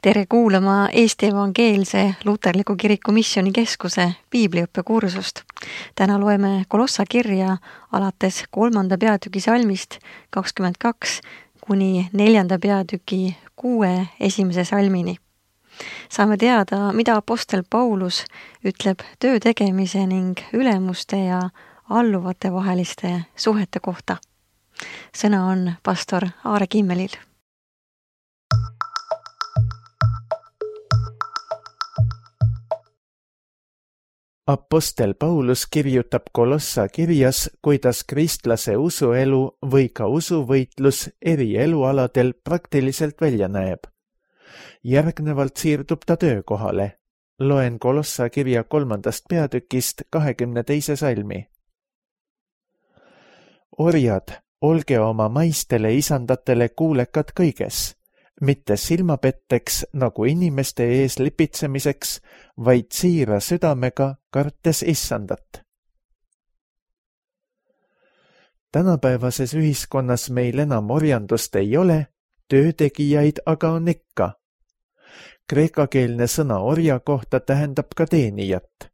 Tere kuulama Eesti Evangeelse Luterliku Kiriku Missioonikeskuse piibliõppekursust. Täna loeme Kolossa kirja alates 3. peatüki salmist 22 kuni 4. peatüki 6 esimese salmini. Saame teada, mida apostel Paulus ütleb töö tegemise ning ülemuste ja alluvate vaheliste suhete kohta. Sõna on pastor Aare Kimmelil. Apostel Paulus kirjutab Kolossa kirjas, kuidas kristlase usuelu või ka usuvõitlus eri elualadel praktiliselt välja näeb. Järgnevalt siirdub ta töökohale. Loen Kolossa kirja 3. peatükist 22. salmi. Orjad, olge oma maistele isandatele kuulekad kõiges, mitte silmapetteks nagu inimeste ees lipitsemiseks, vaid siira südamega, kartes issandat. Tänapäevases ühiskonnas meil enam orjandust ei ole, töötegijaid aga on ikka. Kreekakeelne sõna orja kohta tähendab ka teenijat.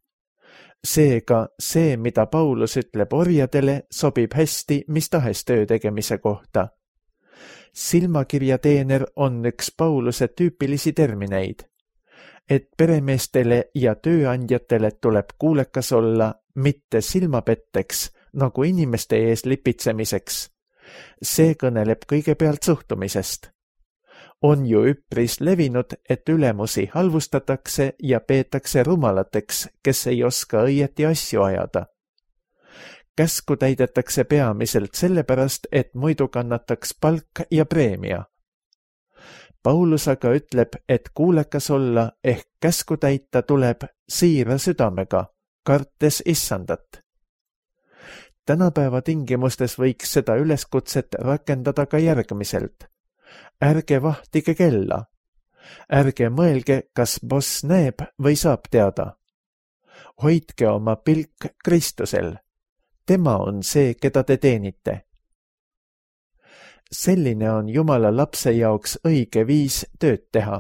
Seega see, mida Paulus ütleb orjadele, sobib hästi mis tahes töö tegemise kohta. Silmakirjateener on üks Pauluse tüüpilisi termineid, et peremeestele ja tööandjatele tuleb kuulekas olla, mitte silmapetteks nagu inimeste ees lipitsemiseks. See kõneleb kõigepealt suhtumisest. On ju üpris levinud, et ülemusi halvustatakse ja peetakse rumalateks, kes ei oska õieti asju ajada. Käsku täidetakse peamiselt sellepärast, et muidu kannataks palk ja preemia. Paulus aga ütleb, et kuulekas olla ehk käsku täita tuleb siira südamega, kartes issandat. Tänapäeva tingimustes võiks seda üleskutset rakendada ka järgmiselt. Ärge vahtige kella. Ärge mõelge, kas boss näeb või saab teada. Hoidke oma pilk Kristusel. Tema on see, keda te teenite. Selline on Jumala lapse jaoks õige viis tööd teha.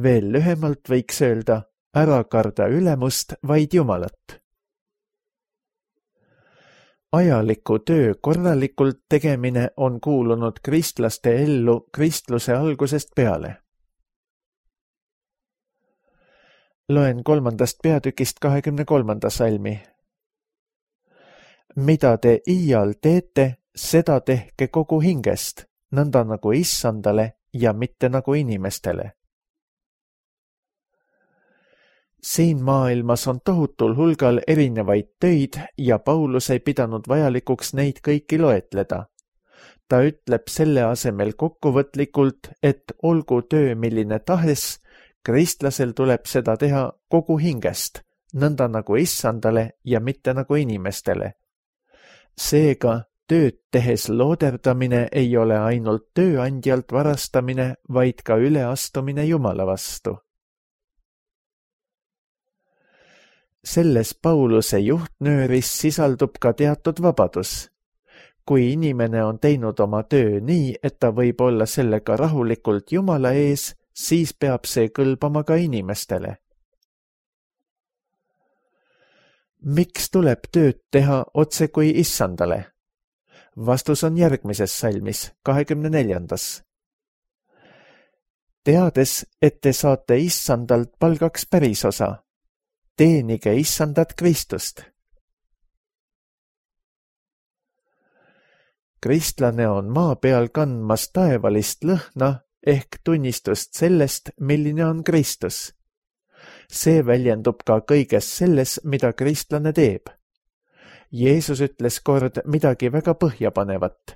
Veel lühemalt võiks öelda, ära karda ülemust, vaid Jumalat. Ajaliku töö korralikult tegemine on kuulunud kristlaste ellu kristluse algusest peale. Loen 3. peatükist 23. salmi. Mida te iial teete, seda tehke kogu hingest, nõnda nagu issandale ja mitte nagu inimestele. Siin maailmas on tohutul hulgal erinevaid töid ja Paulus ei pidanud vajalikuks neid kõiki loetleda. Ta ütleb selle asemel kokkuvõtlikult, et olgu töö milline tahes, kristlasel tuleb seda teha kogu hingest, nõnda nagu issandale ja mitte nagu inimestele. Seega, tööd tehes looderdamine ei ole ainult tööandjalt varastamine, vaid ka üleastumine Jumala vastu. Selles Pauluse juhtnööris sisaldub ka teatud vabadus. Kui inimene on teinud oma töö nii, et ta võib olla sellega rahulikult Jumala ees, siis peab see kõlbama ka inimestele. Miks tuleb tööd teha otse kui issandale? Vastus on järgmises salmis, 24. Teades, et te saate issandalt palgaks pärisosa, teenige issandat Kristust. Kristlane on maa peal kandmas taevalist lõhna ehk tunnistust sellest, milline on Kristus. See väljendub ka kõiges selles, mida kristlane teeb. Jeesus ütles kord midagi väga põhjapanevat.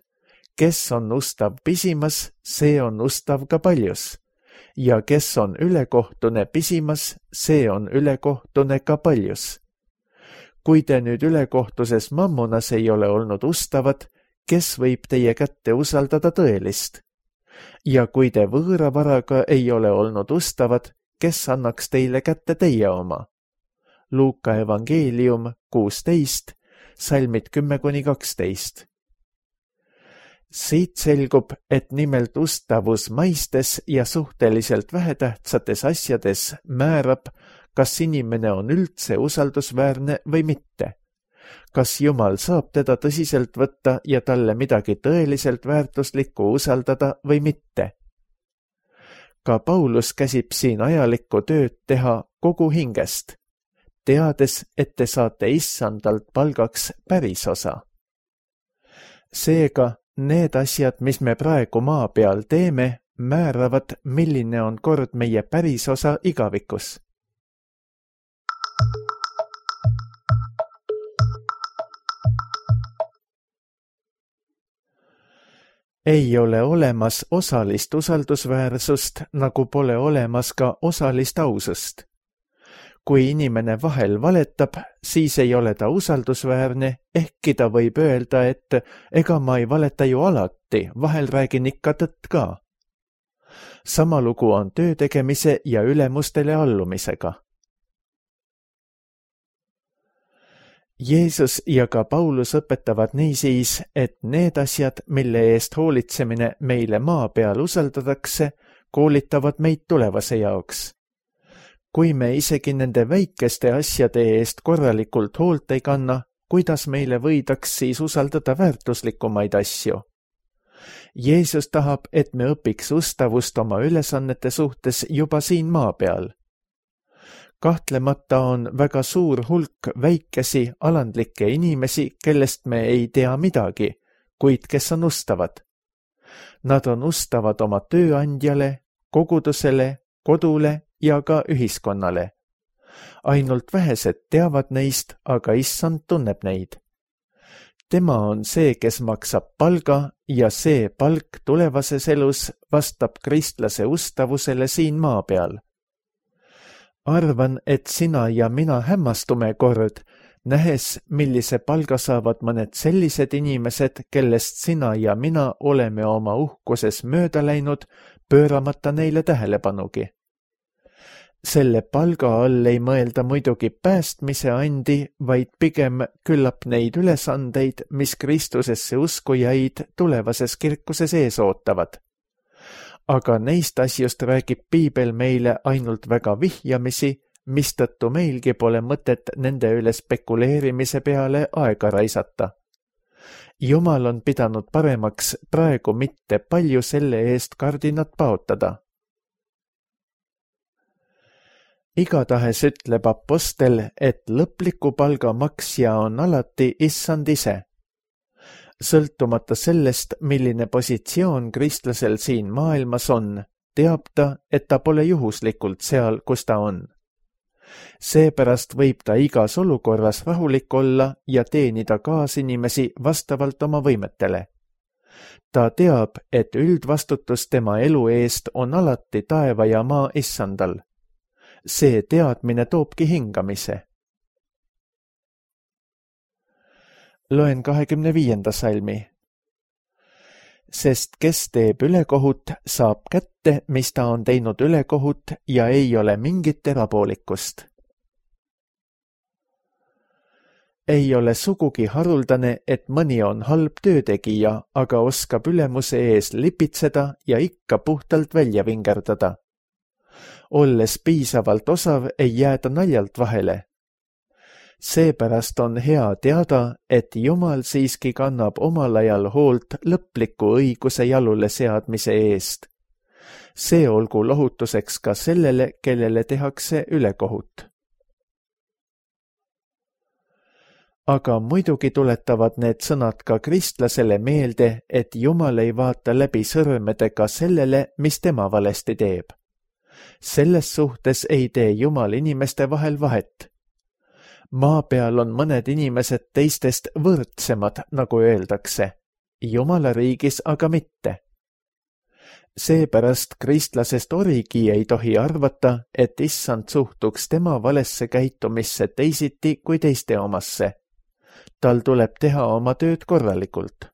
Kes on ustav pisimas, see on ustav ka paljus. Ja kes on ülekohtune pisimas, see on ülekohtune ka paljus. Kui te nüüd ülekohtuses mammonas ei ole olnud ustavad, kes võib teie kätte usaldada tõelist? Ja kui te võõra varaga ei ole olnud ustavad, kes annaks teile kätte teie oma? Luuka evangeelium 16, salmid 10-12. Siit selgub, et nimelt ustavus maistes ja suhteliselt vähetähtsates asjades määrab, kas inimene on üldse usaldusväärne või mitte. Kas Jumal saab teda tõsiselt võtta ja talle midagi tõeliselt väärtuslikku usaldada või mitte. Ka Paulus käsib siin ajalikku tööd teha kogu hingest, teades, et te saate issandalt palgaks pärisosa. Seega, need asjad, mis me praegu maa peal teeme, määravad, milline on kord meie pärisosa igavikus. Ei ole olemas osalist usaldusväärsust, nagu pole olemas ka osalist ausust. Kui inimene vahel valetab, siis ei ole ta usaldusväärne, ehkki ta võib öelda, et ega ma ei valeta ju alati, vahel räägin ikka tõtt ka. Sama lugu on töö tegemise ja ülemustele allumisega. Jeesus ja ka Paulus õpetavad niisiis, et need asjad, mille eest hoolitsemine meile maa peal usaldatakse, koolitavad meid tulevase jaoks. Kui me isegi nende väikeste asjade eest korralikult hoolt ei kanna, kuidas meile võidaks siis usaldada väärtuslikumaid asju? Jeesus tahab, et me õpiks ustavust oma ülesannete suhtes juba siin maa peal. Kahtlemata on väga suur hulk väikesi alandlikke inimesi, kellest me ei tea midagi, kuid kes on ustavad. Nad on ustavad oma tööandjale, kogudusele, kodule ja ka ühiskonnale. Ainult vähesed teavad neist, aga issand tunneb neid. Tema on see, kes maksab palga ja see palk tulevases elus vastab kristlase ustavusele siin maa peal. Arvan, et sina ja mina hämmastume kord, nähes, millise palga saavad mõned sellised inimesed, kellest sina ja mina oleme oma uhkuses mööda läinud, pööramata neile tähelepanugi. Selle palga all ei mõelda muidugi päästmise andi, vaid pigem küllap neid ülesandeid, mis Kristusesse uskujaid tulevases kirkuses ees ootavad. Aga neist asjust räägib piibel meile ainult väga vihjamisi, mistõttu meilgi pole mõtet nende üle spekuleerimise peale aega raisata. Jumal on pidanud paremaks praegu mitte palju selle eest kardinat paotada. Igatahes ütleb apostel, et lõpliku palga maksja on alati issand ise. Sõltumata sellest, milline positsioon kristlasel siin maailmas on, teab ta, et ta pole juhuslikult seal, kus ta on. Seepärast võib ta igas olukorras rahulik olla ja teenida kaasinimesi vastavalt oma võimetele. Ta teab, et üldvastutus tema elu eest on alati taeva ja maa issandal. See teadmine toobki hingamise. Loen 25. salmi. Sest kes teeb ülekohut, saab kätte, mis ta on teinud ülekohut ja ei ole mingit erapoolikust. Ei ole sugugi haruldane, et mõni on halb töötegija, aga oskab ülemuse ees lipitseda ja ikka puhtalt välja vingerdada. Olles piisavalt osav, ei jääda naljalt vahele. Seepärast on hea teada, et Jumal siiski kannab omal ajal hoolt lõpliku õiguse jalule seadmise eest. See olgu lohutuseks ka sellele, kellele tehakse ülekohut. Aga muidugi tuletavad need sõnad ka kristlasele meelde, et Jumal ei vaata läbi sõrmedega sellele, mis tema valesti teeb. Selles suhtes ei tee Jumal inimeste vahel vahet. Maa peal on mõned inimesed teistest võrdsemad, nagu öeldakse, Jumala riigis aga mitte. Seepärast kristlasest origi ei tohi arvata, et issand suhtuks tema valesse käitumisse teisiti kui teiste omasse. Tal tuleb teha oma tööd korralikult.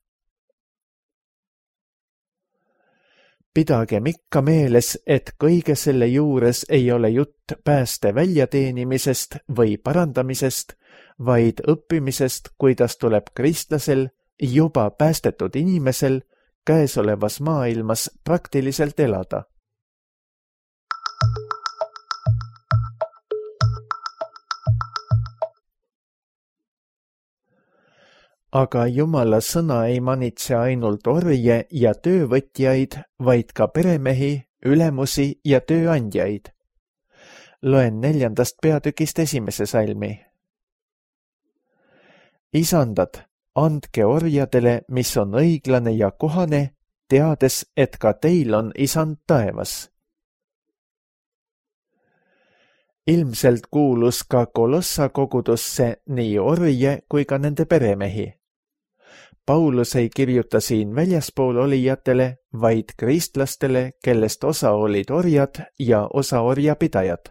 Pidagem ikka meeles, et kõige selle juures ei ole jutt pääste väljateenimisest või parandamisest, vaid õppimisest, kuidas tuleb kristlasel, juba päästetud inimesel, käesolevas maailmas praktiliselt elada. Aga Jumala sõna ei manitse ainult orje ja töövõtjaid, vaid ka peremehi, ülemusi ja tööandjaid. Loen 4. peatükist 1. salmi. Isandad, andke orjadele, mis on õiglane ja kohane, teades, et ka teil on isand taevas. Ilmselt kuulus ka Kolossa kogudusse nii orje kui ka nende peremehi. Paulus ei kirjuta siin väljaspool olijatele, vaid kristlastele, kellest osa olid orjad ja osa orjapidajad.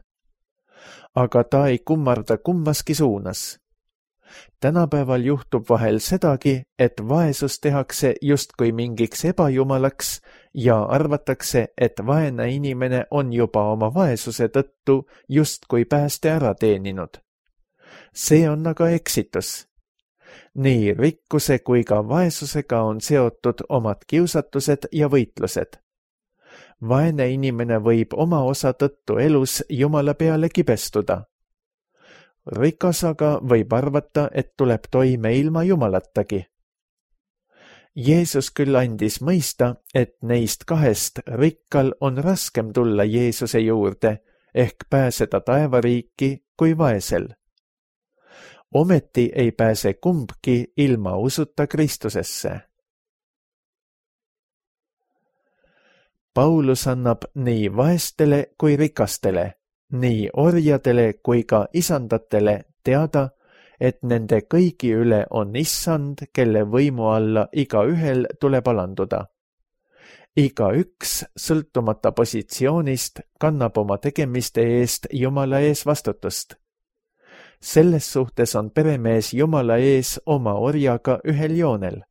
Aga ta ei kummarda kummaski suunas. Tänapäeval juhtub vahel sedagi, et vaesus tehakse justkui mingiks ebajumalaks ja arvatakse, et vaene inimene on juba oma vaesuse tõttu justkui pääste ära teeninud. See on aga eksitus. Nii rikkuse kui ka vaesusega on seotud omad kiusatused ja võitlused. Vaene inimene võib oma osa tõttu elus Jumala peale kibestuda. Rikas aga võib arvata, et tuleb toime ilma Jumalatagi. Jeesus küll andis mõista, et neist kahest rikkal on raskem tulla Jeesuse juurde ehk pääseda taevariiki kui vaesel. Ometi ei pääse kumbki ilma usuta Kristusesse. Paulus annab nii vaestele kui rikastele, nii orjadele kui ka isandatele teada, et nende kõigi üle on issand, kelle võimu alla igaühel tuleb alanduda. Igaüks, sõltumata positsioonist, kannab oma tegemiste eest Jumala ees vastutust. Selles suhtes on peremees Jumala ees oma orjaga ühel joonel.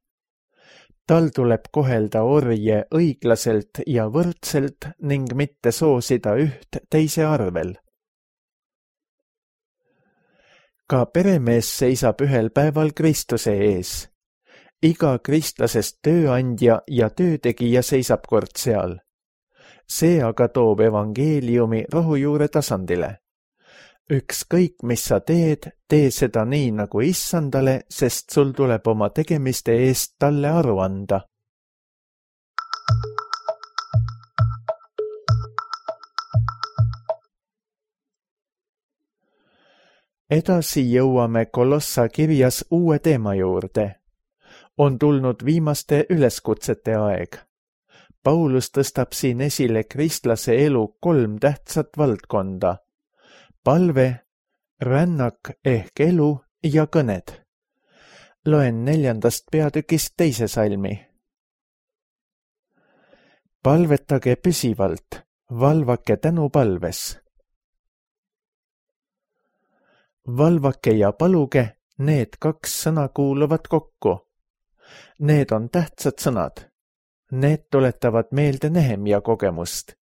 Tal tuleb kohelda orje õiglaselt ja võrdselt ning mitte soosida üht teise arvel. Ka peremees seisab ühel päeval Kristuse ees. Iga kristlasest tööandja ja töötegija seisab kord seal. See aga toob evangeeliumi rohujuure tasandile. Ükskõik, mis sa teed, tee seda nii nagu issandale, sest sul tuleb oma tegemiste eest talle aru anda. Edasi jõuame Kolossa kirjas uue teema juurde. On tulnud viimaste üleskutsete aeg. Paulus tõstab siin esile kristlase elu 3 tähtsat valdkonda. Palve, rännak ehk elu ja kõned. Loen 4. peatükist 2. salmi. Palvetage püsivalt, valvake tänupalves. Valvake ja paluge, need 2 sõna kuuluvad kokku. Need on tähtsad sõnad. Need tuletavad meelde Nehemia kogemust.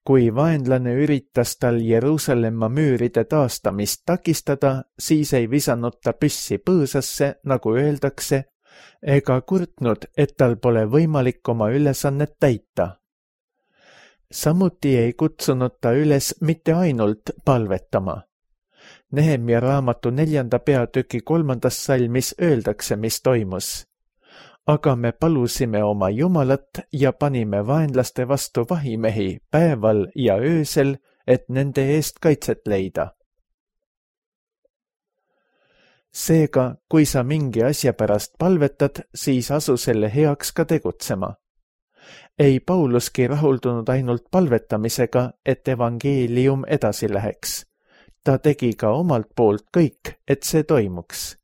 Kui vaenlane üritas tal Jeruusalemma müüride taastamist takistada, siis ei visanud ta püssi põõsasse, nagu öeldakse, ega kurtnud, et tal pole võimalik oma ülesannet täita. Samuti ei kutsunud ta üles mitte ainult palvetama. Nehemia raamatu 4. peatüki 3. salmis öeldakse, mis toimus. Aga me palusime oma Jumalat ja panime vaenlaste vastu vahimehi päeval ja öösel, et nende eest kaitset leida. Seega, kui sa mingi asja pärast palvetad, siis asu selle heaks ka tegutsema. Ei Pauluski rahuldunud ainult palvetamisega, et evangeelium edasi läheks. Ta tegi ka omalt poolt kõik, et see toimuks.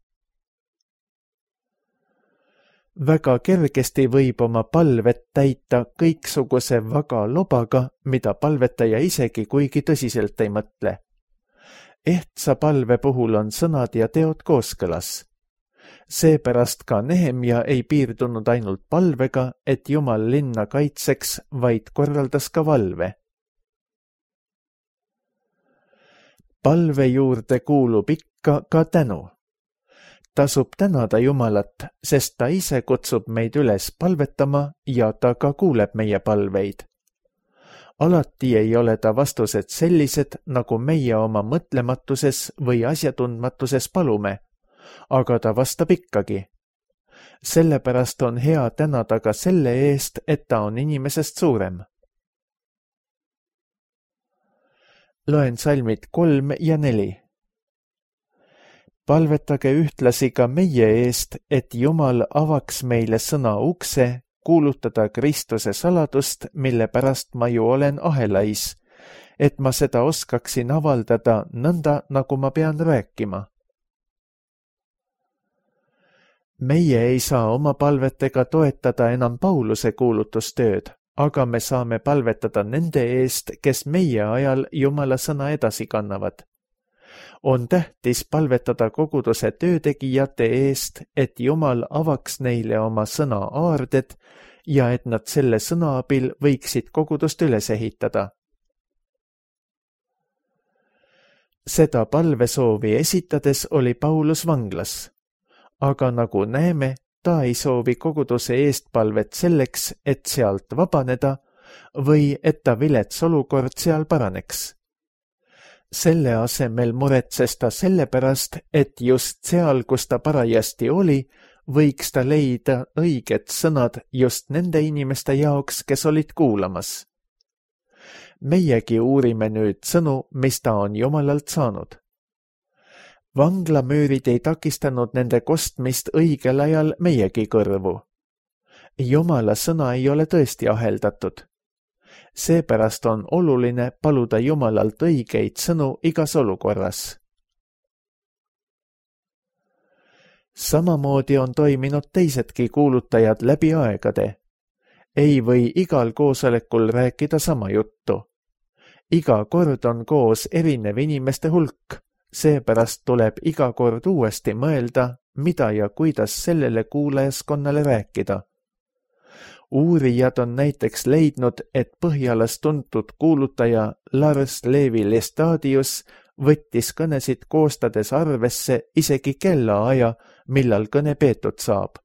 Väga kergesti võib oma palvet täita kõiksuguse vaga lobaga, mida palvetaja isegi kuigi tõsiselt ei mõtle. Ehtsa palve puhul on sõnad ja teod kooskõlas. Seepärast ka Nehemia ei piirdunud ainult palvega, et Jumal linna kaitseks, vaid korraldas ka valve. Palve juurde kuulub ikka ka tänu. Tasub tänada Jumalat, sest ta ise kutsub meid üles palvetama ja ta ka kuuleb meie palveid. Alati ei ole ta vastused sellised, nagu meie oma mõtlematuses või asjatundmatuses palume, aga ta vastab ikkagi. Sellepärast on hea tänada ka selle eest, et ta on inimesest suurem. Loen salmid 3 ja 4. Palvetage ühtlasi ka meie eest, et Jumal avaks meile sõna ukse, kuulutada Kristuse saladust, mille pärast ma ju olen ahelais, et ma seda oskaksin avaldada nõnda, nagu ma pean rääkima. Meie ei saa oma palvetega toetada enam Pauluse kuulutustööd, aga me saame palvetada nende eest, kes meie ajal Jumala sõna edasi kannavad. On tähtis palvetada koguduse töötegijate eest, et Jumal avaks neile oma sõna aarded ja et nad selle sõna abil võiksid kogudust üles ehitada. Seda palvesoovi esitades oli Paulus vanglas, aga nagu näeme, ta ei soovi koguduse eest palvet selleks, et sealt vabaneda või et ta vilets olukord seal paraneks. Selle asemel muretses ta sellepärast, et just seal, kus ta parajasti oli, võiks ta leida õiged sõnad just nende inimeste jaoks, kes olid kuulamas. Meiegi uurime nüüd sõnu, mis ta on Jumalalt saanud. Vanglamüürid ei takistanud nende kostmist õigel ajal meiegi kõrvu. Jumala sõna ei ole tõesti aheldatud. Seepärast on oluline paluda Jumalalt õigeid sõnu igas olukorras. Samamoodi on toiminud teisedki kuulutajad läbi aegade. Ei või igal koosolekul rääkida sama juttu. Iga kord on koos erinev inimeste hulk, seepärast tuleb iga kord uuesti mõelda, mida ja kuidas sellele kuulajaskonnale rääkida. Uurijad on näiteks leidnud, et Põhjalas tuntud kuulutaja Lars Levi Lestadius võttis kõnesid koostades arvesse isegi kellaaja, millal kõne peetud saab.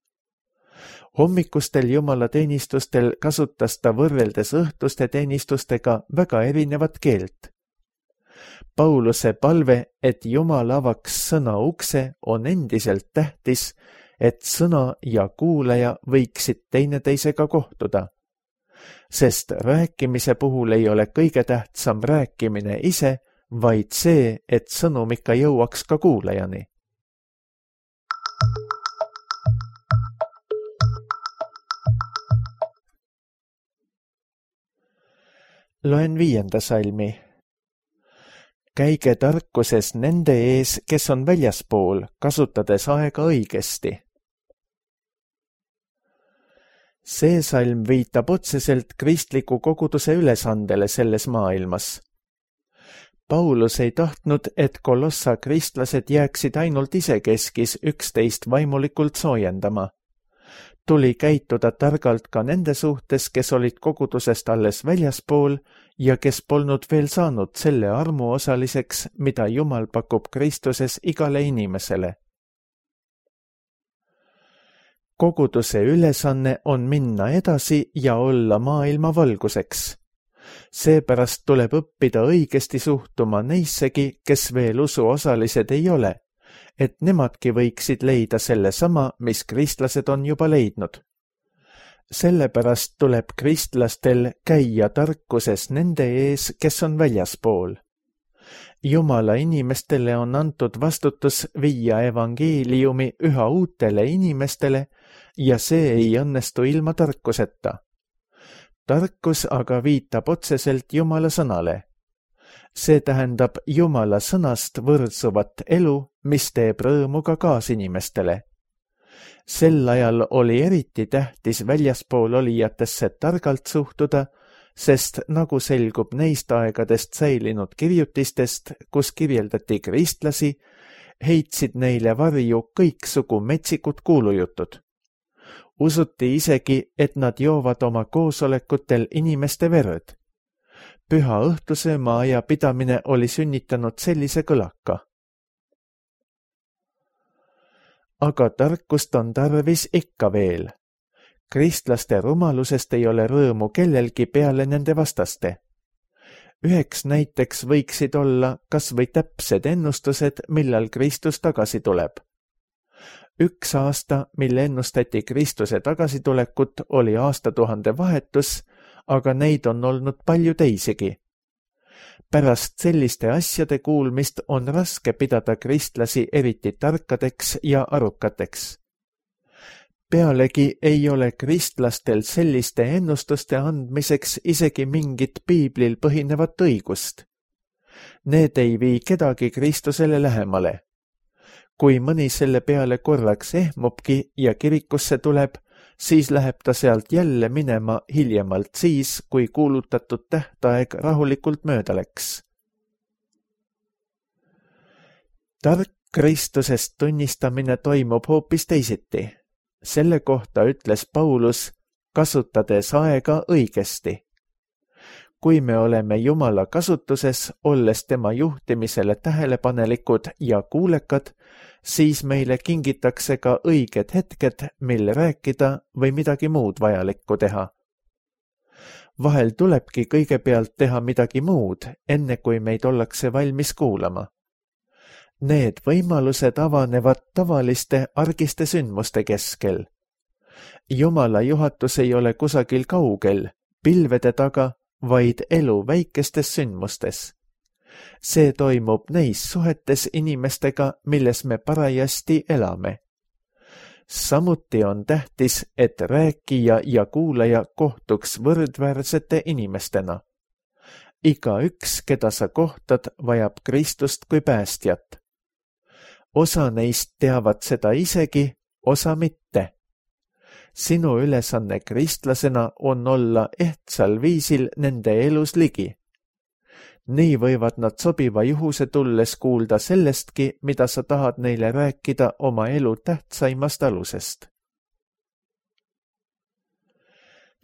Hommikustel jumalateenistustel kasutas ta võrreldes õhtuste teenistustega väga erinevat keelt. Pauluse palve, et Jumal avaks sõna ukse, on endiselt tähtis, et sõna ja kuulaja võiksid teineteisega kohtuda. Sest rääkimise puhul ei ole kõige tähtsam rääkimine ise, vaid see, et sõnum ikka jõuaks ka kuulajani. Loen 5. salmi. Käige tarkuses nende ees, kes on väljaspool, kasutades aega õigesti. See salm viitab otseselt kristliku koguduse ülesandele selles maailmas. Paulus ei tahtnud, et Kolossa kristlased jääksid ainult isekeskis üksteist vaimulikult soojendama. Tuli käituda targalt ka nende suhtes, kes olid kogudusest alles väljaspool ja kes polnud veel saanud selle armu osaliseks, mida Jumal pakub Kristuses igale inimesele. Koguduse ülesanne on minna edasi ja olla maailma valguseks. Seepärast tuleb õppida õigesti suhtuma neissegi, kes veel usuosalised ei ole, et nemadki võiksid leida sellesama, mis kristlased on juba leidnud. Sellepärast tuleb kristlastel käia tarkuses nende ees, kes on väljaspool. Jumala inimestele on antud vastutus viia evangeeliumi üha uutele inimestele ja see ei õnnestu ilma tarkuseta. Tarkus aga viitab otseselt Jumala sõnale. See tähendab Jumala sõnast võrdsuvat elu, mis teeb rõõmu ka kaasinimestele. Sel ajal oli eriti tähtis väljaspool olijatesse targalt suhtuda, sest nagu selgub neist aegadest säilinud kirjutistest, kus kirjeldati kristlasi, heitsid neile varju kõiksugu metsikud kuulujutud. Usuti isegi, et nad joovad oma koosolekutel inimeste verd. Püha õhtusööma aja pidamine oli sünnitanud sellise kõlaka. aga tarkust on tarvis ikka veel. Kristlaste rumalusest ei ole rõõmu kellelgi peale nende vastaste. Üheks näiteks võiksid olla kas või täpsed ennustused, millal Kristus tagasi tuleb. Üks aasta, mil ennustati Kristuse tagasitulekut, oli aastatuhande vahetus, aga neid on olnud palju teisigi. Pärast selliste asjade kuulmist on raske pidada kristlasi eriti tarkadeks ja arukateks. Pealegi ei ole kristlastel selliste ennustuste andmiseks isegi mingit piiblil põhinevat õigust. Need ei vii kedagi Kristusele lähemale. Kui mõni selle peale korraks ehmubki ja kirikusse tuleb, siis läheb ta sealt jälle minema hiljemalt siis, kui kuulutatud tähtaeg rahulikult mööda läks. Tark Kristusest tunnistamine toimub hoopis teisiti. Selle kohta ütles Paulus, kasutades aega õigesti. Kui me oleme Jumala kasutuses, olles tema juhtimisele tähelepanelikud ja kuulekad, siis meile kingitakse ka õiged hetked, mil rääkida või midagi muud vajalikku teha. Vahel tulebki kõigepealt teha midagi muud, enne kui meid ollakse valmis kuulama. Need võimalused avanevad tavaliste argiste sündmuste keskel. Jumala juhatus ei ole kusagil kaugel, pilvede taga, vaid elu väikestes sündmustes. See toimub neis suhetes inimestega, milles me parajasti elame. Samuti on tähtis, et rääkija ja kuulaja kohtuks võrdväärsete inimestena. Igaüks, keda sa kohtad, vajab Kristust kui päästjat. Osa neist teavad seda isegi, osa mitte. Sinu ülesanne kristlasena on olla ehtsal viisil nende elus ligi. Nii võivad nad sobiva juhuse tulles kuulda sellestki, mida sa tahad neile rääkida oma elu tähtsaimast alusest.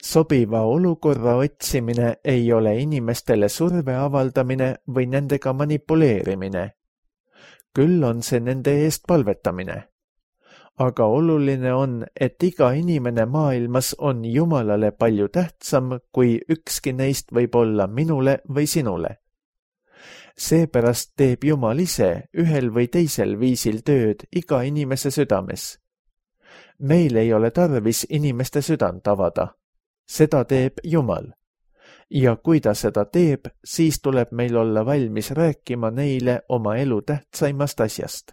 Sobiva olukorra otsimine ei ole inimestele surve avaldamine või nendega manipuleerimine. Küll on see nende eest palvetamine. Aga oluline on, et iga inimene maailmas on Jumalale palju tähtsam, kui ükski neist võib olla minule või sinule. Seepärast teeb Jumal ise ühel või teisel viisil tööd iga inimese südames. Meil ei ole tarvis inimeste südant avada. Seda teeb Jumal. Ja kui ta seda teeb, siis tuleb meil olla valmis rääkima neile oma elu tähtsaimast asjast.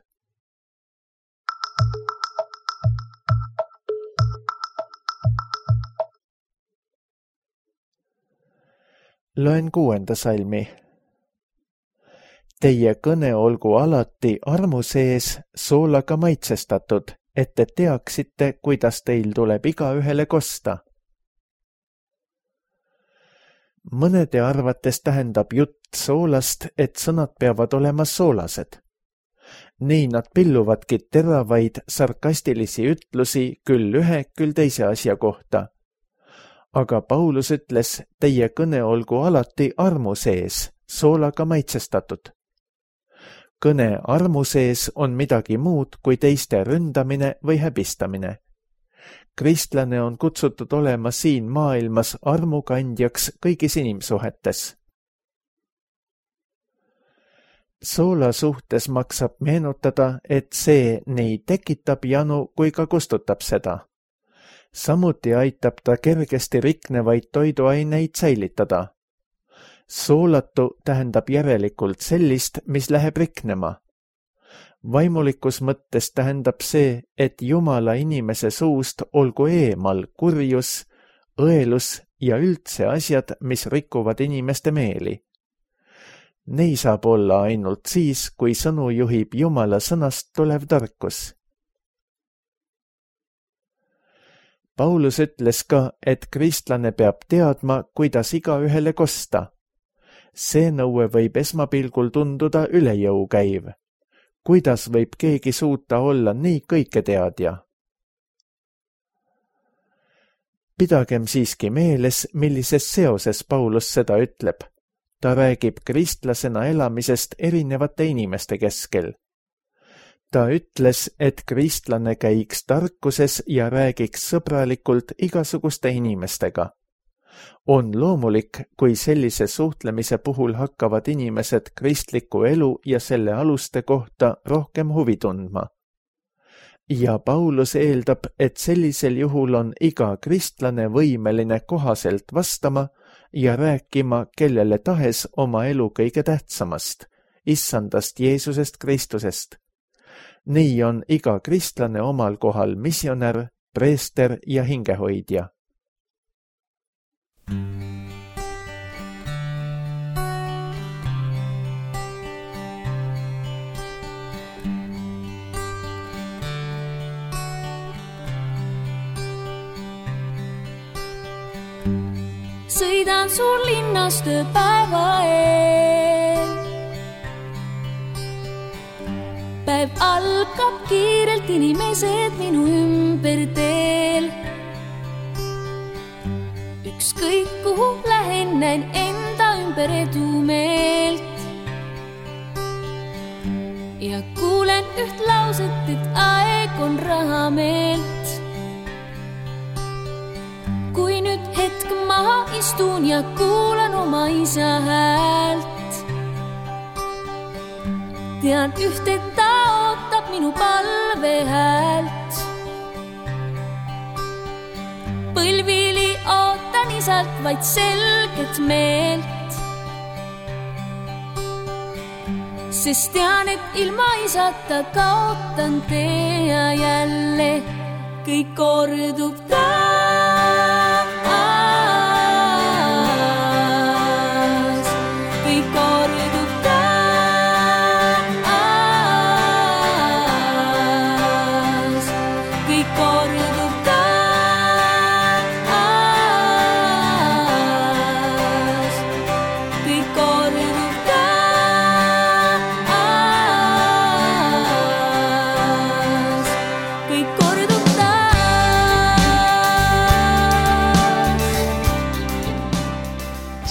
Loen 6. salmi. Teie kõne olgu alati armu sees soolaga maitsestatud, et te teaksite, kuidas teil tuleb igaühele kosta. Mõnede arvates tähendab jutt soolast, et sõnad peavad olema soolased. Nii nad pilluvadki teravaid sarkastilisi ütlusi küll ühe, küll teise asja kohta. Aga Paulus ütles, teie kõne olgu alati armu sees, soolaga maitsestatud. Kõne armu sees on midagi muud kui teiste ründamine või häbistamine. Kristlane on kutsutud olema siin maailmas armukandjaks kõigis inimsuhetes. Soola suhtes maksab meenutada, et see nii tekitab janu kui ka kustutab seda. Samuti aitab ta kergesti riknevaid toiduaineid säilitada. Soolatu tähendab järelikult sellist, mis läheb riknema. Vaimulikus mõttes tähendab see, et Jumala inimese suust olgu eemal kurjus, õelus ja üldse asjad, mis rikuvad inimeste meeli. Nei saab olla ainult siis, kui sõnu juhib Jumala sõnast tulev tarkus. Paulus ütles ka, et kristlane peab teadma, kuidas igaühele kosta. See nõue võib esmapilgul tunduda üle jõu käiv. Kuidas võib keegi suuta olla nii kõiketeadja? Pidagem siiski meeles, millises seoses Paulus seda ütleb. Ta räägib kristlasena elamisest erinevate inimeste keskel. Ta ütles, et kristlane käiks tarkuses ja räägiks sõbralikult igasuguste inimestega. On loomulik, kui sellise suhtlemise puhul hakkavad inimesed kristliku elu ja selle aluste kohta rohkem huvi tundma. Ja Paulus eeldab, et sellisel juhul on iga kristlane võimeline kohaselt vastama ja rääkima kellele tahes oma elu kõige tähtsamast, issandast Jeesusest Kristusest. Nii on iga kristlane omal kohal missionär, preester ja hingehoidja. Sõidan suur linnas tööpäeva eel. Päev algab kiirelt, inimesed minu ümber teel. Ükskõik kuhu lähen, näen enda ümber edumeelt. Ja kuulen üht lauset, et aeg on rahameelt. Kui nüüd hetk maha istun ja kuulan oma isa häält, tean üht, et ta ootab minu palve häält. Põlvili ootan isalt vaid selget meelt, sest tean, et ilma isata kaotan tee ja jälle kõik kordub taas.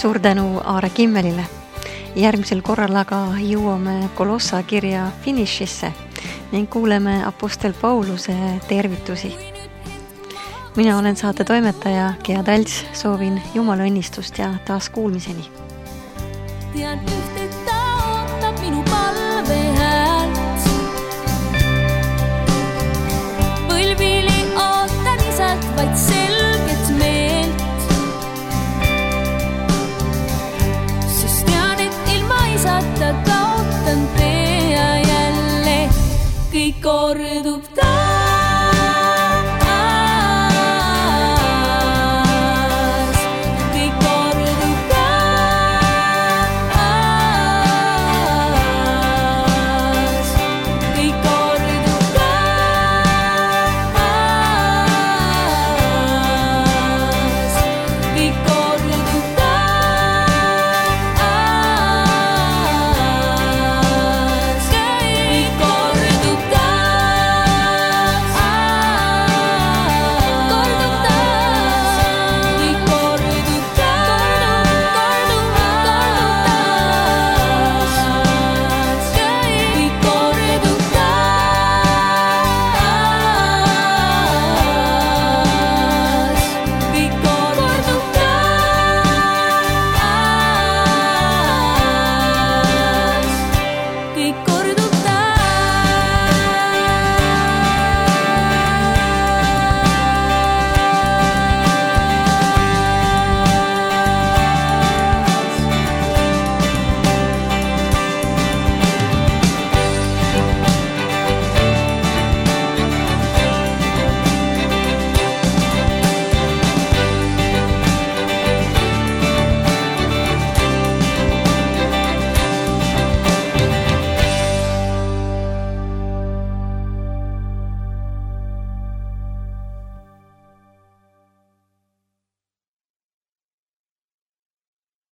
Suur tänu Aare Kimmelile. Järgmisel korral aga jõuame Kolossa kirja finišisse ning kuuleme apostel Pauluse tervitusi. Mina olen saate toimetaja Gea Talts, soovin Jumala õnnistust ja taas kuulmiseni. Tean üht, et ta ootab minu palve häält. Põlvili ootan isalt vaid selget meelt, sest tean, et ilma isata kaotan tee ja jälle kõik kordub ta.